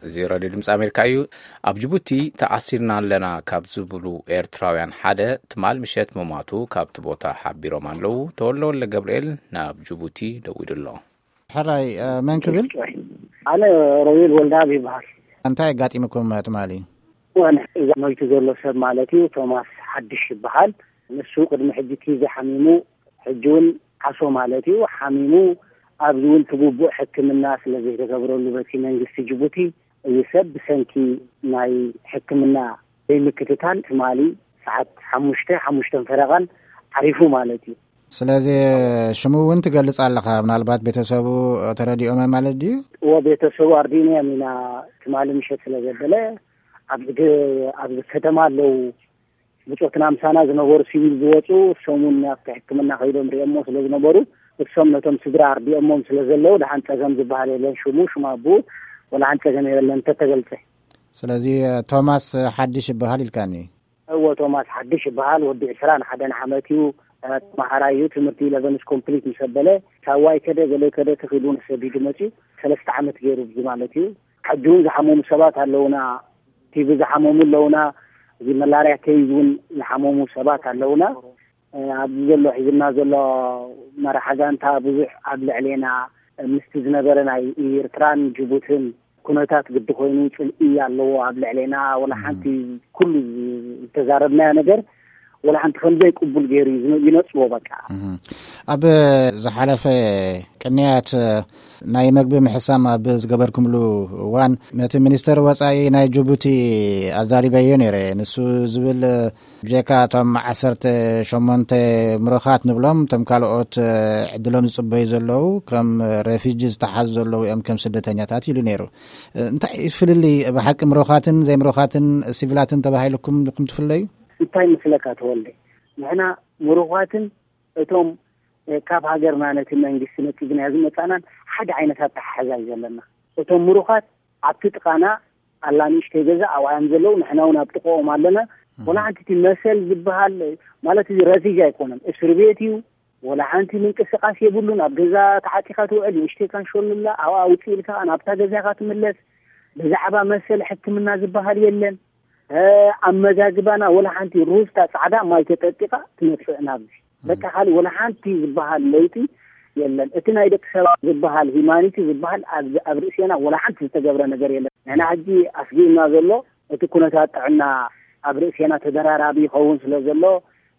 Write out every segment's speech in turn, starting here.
እዚ ራድዮ ድምፂ ኣሜሪካ እዩ። ኣብ ጅቡቲ ተኣሲርና ኣለና ካብ ዝብሉ ኤርትራውያን ሓደ ትማል ምሸት ምሟቱ ካብቲ ቦታ ሓቢሮም ኣለዉ። ተወልደ ወልደ ገብርኤል ናብ ጅቡቲ ደዊሉ ኣሎ። ሕራይ፣ እ፣ መን ክብል? ኣነ ሮቤል ወልደኣብ ይበሃል። እንታይ ኣጋጢምኩም ትማሊ? ዋን እዛ ሞይቱ ዘሎ ሰብ ማለት እዩ፣ ቶማስ ሓድሽ ይበሃል። ንሱ ቅድሚ ሕጂ እቲ ዝሓሚሙ፣ ሕጂ እውን ዓሶ ማለት እዩ፣ ሓሚሙ፣ ኣብዚ እውን እቲ ግቡእ ሕክምና ስለ ዘይተገብረሉ በቲ መንግስቲ ጅቡቲ፣ እዚ ሰብ ብሰንኪ ናይ ሕክምና ዘይምክትታል ትማሊ ሰዓት ሓሙሽተ፣ ሓሙሽተን ፈረቓን ዓሪፉ ማለት እዩ። ስለዚ ሽሙ እውን ትገልጽ ኣለኻ፣ ምናልባት ቤተሰቡ ተረዲኦም ማለት ድዩ? እዎ፣ ቤተሰቡ ኣርዲእናዮም ኢና፣ ትማሊ ምሸት ስለ ዘበለ ኣብዚ ግ-፣ ኣብዚ ከተማ ኣለዉ፣ ብጾትና ምሳና ዝነበሩ ሲቪል ዝወጹ፣ እሶም እውን ኣብቲ ሕክምና ከይዶም ሪኦሞ ስለ ዝነበሩ፣ እሶም ነቶም ስድራ ኣርዲኦሞም ስለ ዘለዉ፣ ደሓን ጸገም ዝበሃል የለን። ሽሙ፣ ሽም ኣቦኡ፣ ወላ ሓንቲ ጸገም የለን እንተተገልጸ። ስለዚ ቶማስ ሓድሽ ይበሃል ኢልካኒ? እዎ፣ ቶማስ ሓድሽ ይበሃል። ወዲ ዕስራን ሓደን ዓመት እዩ። ተምሃራይ እዩ። ትምህርቲ ኢለቨንስ ኮምፕሊት ምስ ኣበለ፣ ሳዋ ይከደ፣ ገለ ይከደ፣ ተኺሉ ንሰዲዱ መጺኡ። ሰለስተ ዓመት ገይሩ፣ እዚ ማለት እዩ። ሕጂ እውን ዝሓመሙ ሰባት ኣለውና። ቲቪ ዝሓመሙ ኣለውና። እዚ መላርያ ኬዝ እውን ዝሓመሙ ሰባት ኣለውና። ኣብዚ ዘሎ፣ ሒዝና ዘሎ መራሒ ጋንታ ብዙሕ ኣብ ልዕሌና፣ ምስቲ ዝነበረ ናይ ኤርትራን ጅቡትን ኩነታት ግዲ ኮይኑ ጽልኢ ኣለዎ ኣብ ልዕሌና። ወላ ሓንቲ፣ ኩሉ ዝተዛረብናዮ ነገር ወላ ሓንቲ ከም ዘይቅቡል ገይሩ እዩ ዝነ-፣ ይነጽጎ በቃ። እህ። ኣብ ዝሓለፈ ቅንያት ናይ መግቢ ምሕሳም ኣብ ዝገበርኩምሉ እዋን ነቲ ሚኒስተር ወጻኢ ናይ ጅቡቲ ኣዛሪበዮ ነይረ። ንሱ ዝብል ብጀካ እቶም ዓሰርተ ሸሞንተ ምሩኻት ንብሎም፣ እቶም ካልኦት ዕድሎም ዝጽበዩ ዘለዉ ከም ሬፊጂ ዝተሓዙ ዘለዉ እዮም፣ ከም ስደተኛታት ኢሉ ነይሩ። እንታይ እዩ ፍልልይ ብሓቂ ምሩኻትን ዘይምሩኻትን ሲቪላትን ተባሂልኩም ዲኹም ትፍለዩ? እንታይ መስለካ ተወልደ? ንሕና ምሩኻትን እቶም፣ እ፣ ካብ ሃገርና ነቲ መንግስቲ ነጺግናዮ ዝመጻእናን ሓደ ዓይነት ኣተሓሕዛ እዩ ዘለና። እቶም ምሩኻት ኣብቲ ጥቓና ኣላ ንእሽተይ ገዛ ኣብኣ እዮም ዘለዉ፣ ንሕና እውን ኣብ ጥቕኦም ኣለና። እህ። ወላ ሓንቲ እቲ መሰል ዝበሃል ማለት እዚ ረፊጂ ኣይኮነን፣ እስሪ ቤት እዩ። ወላ ሓንቲ ምንቅስቓስ የብሉን። ኣብ ገዛ ተዓጢኻ ትውዕል፣ ንእሽተይ ካንሾልላ ኣብኣ ውፅእ ኢልካ ናብታ ገዛ ኢኻ ትምለስ። ብዛዕባ መሰል ሕክምና ዝበሃል የለን። እ፣ ኣመጋግባና ወላ ሓንቲ ሩዝታ ጻዕዳ ማይ ተጠጢቓ ትመጽእ ናብዚ። በቃ ካልእ ወላ ሓንቲ ዝበሃል ለውጢ የለን። እቲ ናይ ደቂ ሰባት ዝበሃል ሂማኒቲ ዝበሃል ኣብ፣ ኣብ ርእሴና ወላ ሓንቲ ዝተገብረ ነገር የለን። ንሕና ሕጂ ኣስጊእና ዘሎ እቲ ኩነታት ጥዕና ኣብ ርእሴና ተደራራቢ ይኸውን ስለ ዘሎ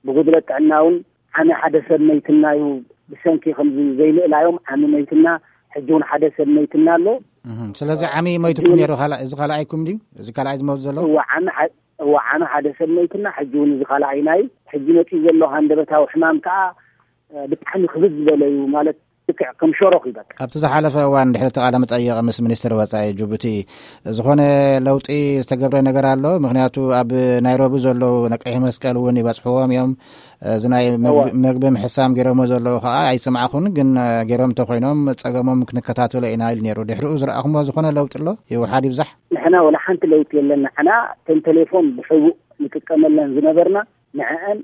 ብጉድለት ጥዕና እውን ዓሚ ሓደ ሰብ መይትና እዩ። ብሰንኪ ከምዚ ዘይምእላዮም ዓሚ መይትና፣ ሕጂ እውን ሓደ ሰብ መይትና ኣሎ። እህ፣ ስለዚ ዓሚ ሞይትኩም ሕጂ እውን ነይሩ፣ ካልኣ-፣ እዚ ካልኣይኩም ድዩ? እዚ ካልኣይ ዝመውት ዘሎ? እዋ፣ ዓሚ ሓ-፣ እዋ፣ ዓሚ ሓደ ሰብ መይትና፣ ሕጂ እውን እዚ ካልኣይና እዩ። ሕጂ መፂኡ ዘሎ ሃንደበታዊ ሕማም ከዓ፣ እ፣ ብጣዕሚ ክብድ ዝበለ እዩ። ማለት ልክዕ ከም ሸሮኽ እዩ በቃ። ኣብቲ ዝሓለፈ እዋን ድሕሪ እቲ ቃለ መጠይቕ ምስ ሚኒስትር ወጻኢ ጅቡቲ ዝኾነ ለውጢ ዝተገብረ ነገር ኣሎ? ምኽንያቱ ኣብ ናይሮቢ ዘለዉ ናይ ቀይሕ መስቀል እውን ይበጽሕዎም እዮም። እዚ ናይ መግቢ፣ እዋ። መግቢ ምሕሳም ገይሮሞ ዘለዉ ከዓ ኣይሰማዕኹን፣ ግን ገይሮም እንተኾይኖም ጸገሞም ክንከታተሎ ኢና ኢሉ ነይሩ። ድሕሪኡ ዝረኣኹሞ ዝኾነ ለውጢ ኣሎ? ይውሓድ ይብዛሕ? ንሕና ወላ ሓንቲ ለውጢ የለን። ንሕና እተን ቴሌፎን ብሕቡእ ንጥቀመለን ዝነበርና ንዕአን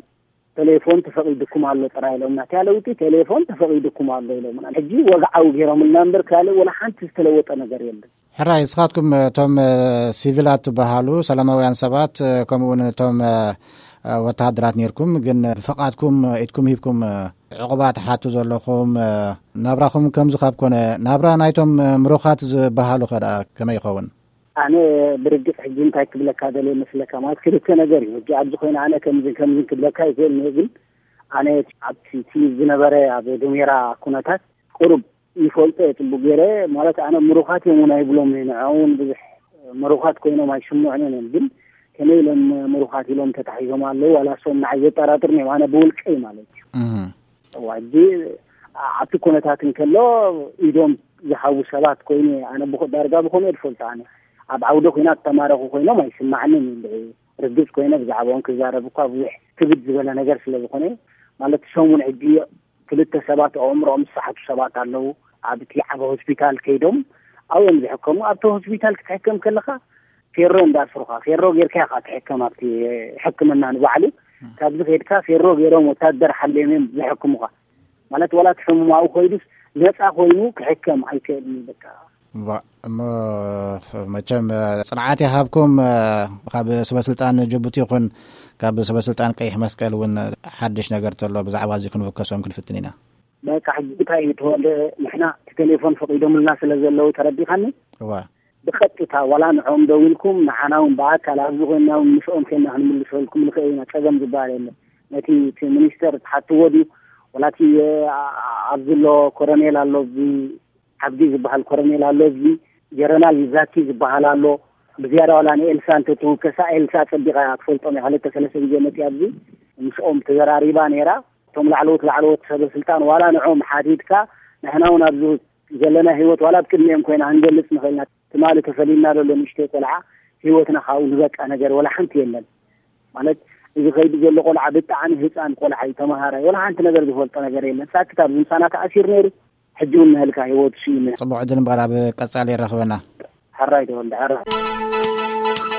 ቴሌፎን ተፈቒዱኩም ኣሎ ጥራይ ኢሎምና። እቲያ ለውጢ ቴሌፎን ተፈቒዱኩም ኣሎ ኢሎምና። ሕጂ ወግዓዊ ገይሮምልና እምበር ካልእ ወላ ሓንቲ ዝተለወጠ ነገር የለን። ሕራይ፣ ንስኻትኩም እቶም፣ እ፣ ሲቪላት ትበሃሉ ሰላማውያን ሰባት፣ እ፣ ከምኡ እውን እቶም፣ እ፣ እ፣ ወተሃደራት ነይርኩም፣ ግን ብፍቓድኩም ኢድኩም ሂብኩም፣ እ፣ ዕቑባ ትሓቱ ዘለኹም፣ እ፣ ናብራኹም ከምዚ ካብ ኮነ፣ ናብራ ናይቶም፣ እ፣ ምሩኻት ዝበሃሉ ኸ ደኣ ከመይ ይኸውን? ኣነ ብርግጽ ሕጂ እንታይ ክብለካ ደልየ መስለካ፣ ማለት ክልተ ነገር እዩ። ሕጂ ኣብዚ ኮይነ ኣነ ከምዝን ከምዝን ክብለካ ይኽእል እየ፣ ግን ኣነ ኣብቲ እቲ ዝነበረ ኣብ ዱሜራ ኩነታት ቁሩብ ይፈልጦ እየ ጽቡቅ ገይረ። ማለት ኣነ ምሩኻት እዮም እውን ኣይብሎም እየ፣ ንዕኦም እውን ብዙሕ ምሩኻት ኮይኖም ኣይስምዑንን እዮም። ግን ከመይ ኢሎም ምሩኻት ኢሎም ተታሒዞም ኣለዉ፣ ዋላ እሶም ንዓይ ዘጠራጥሩኒ እዮም፣ ኣነ ብውልቀይ ማለት እዩ። እህ። እዋ፣ ሕጂ ኣብቲ ኩነታት እንከሎ ኢዶም ዝሃቡ ሰባት ኮይኑ፣ ኣነ ብኸ-፣ ዳርጋ ብኸምኡ እየ ዝፈልጦ። ኣነ ኣብ ዓውደ ኲናት ተማረኹ ኮይኖም ኣይስማዕንን እዩ። እንድዒ ርግጽ ኮይነ ብዛዕባኦም ክዛረብ እኳ ብዙሕ ክብድ ዝበለ ነገር ስለ ዝኾነ፣ ማለት ሰሙን ሕጂ ክልተ ሰባት ኣእምሮኦም ዝሰሓቱ ሰባት ኣለዉ። ኣብቲ ዓቢ ሆስፒታል ከይዶም ኣብኦም ዝሕከሙ። ኣብቲ ሆስፒታል ክትሕከም ከለኻ ፌሮ እንዳስሩኻ፣ ፌሮ ጌርካ ኢኻ ትሕከም። ኣብቲ ሕክምና ንባዕሉ ካብዚ ከይድካ ፌሮ ገይሮም ወታደር ሓልዮም እዮም ዝሕክሙኻ። ማለት ዋላ እቲ ሕሙም ኣብኡ ኮይዱስ ነጻ ኮይኑ ክሕከም ኣይክእልን እዩ በቃ። እሞ መቸም ጽንዓት ይሃብኩም። ካብ ሰበስልጣን ጅቡቲ ይኹን ካብ ሰበስልጣን ቀይሕ መስቀል እውን ሓድሽ ነገር ተሎ ብዛዕባ እዚ ክንውከሶም ክንፍትን ኢና። በቃ ሕጂ እንታይ እዩ ተወልደ፣ ንሕና እቲ ቴሌፎን ፈቒዶምልና ስለ ዘለዉ ተረዲኻኒ። እዋ። ብቐጥታ ዋላ ንዕኦም ደዊልኩም ንዓና እውን ብኣካል ኣብዚ ኮይንና እውን ምስኦም ኮይንና ክንምልሰልኩም ንኽእል ኢና። ጸገም ዝበሃል የለን። ነቲ እቲ ሚኒስተር ትሓትዎ ድዩ? ዋላ እቲ ኣብዚ ኣሎ ኮረኔል ኣሎ፣ ኣብዚ ዓብዲ ዝበሃል ኮረኔል ኣሎ፣ እዚ ጀረናል ዛኪ ዝበሃል ኣሎ። ብዝያዳ ዋላ ንኤልሳ እንተትውከሳ፣ ኤልሳ ጸቢቓ እያ ትፈልጦም እያ። ክልተ ሰለስተ ግዜ መጺኣ ኣብዚ ምስኦም ተዘራሪባ ነይራ። እቶም ላዕለዎት ላዕለዎት ሰበ ስልጣን ዋላ ንዕኦም ሓቲትካ፣ ንሕና እውን ኣብዚ ዘለና ህይወት ዋላ ኣብ ቅድሚኦም ኮይና ክንገልጽ ንኽእል ኢና። ትማሊ ተፈሊና ዘሎ ንእሽተይ ቆልዓ ህይወትና ካብኡ ዝበቃ ነገር ዋላ ሓንቲ የለን። ማለት እዚ ከይዱ ዘሎ ቆልዓ ብጣዕሚ ህፃን ቆልዓ እዩ፣ ተምሃራይ፣ ዋላ ሓንቲ ነገር ዝፈልጦ ነገር የለን። ሳክት ኣብዚ ምሳና ተኣሲሩ ነይሩ፣ ሕጂ እውን ንህልካ ህይወቱ ስኢኑ። ጽቡቕ ዕድል እምበኣር ኣብ ቀጻሊ የራኽበና። ሕራይ ተወልደ፣ ሕራይ።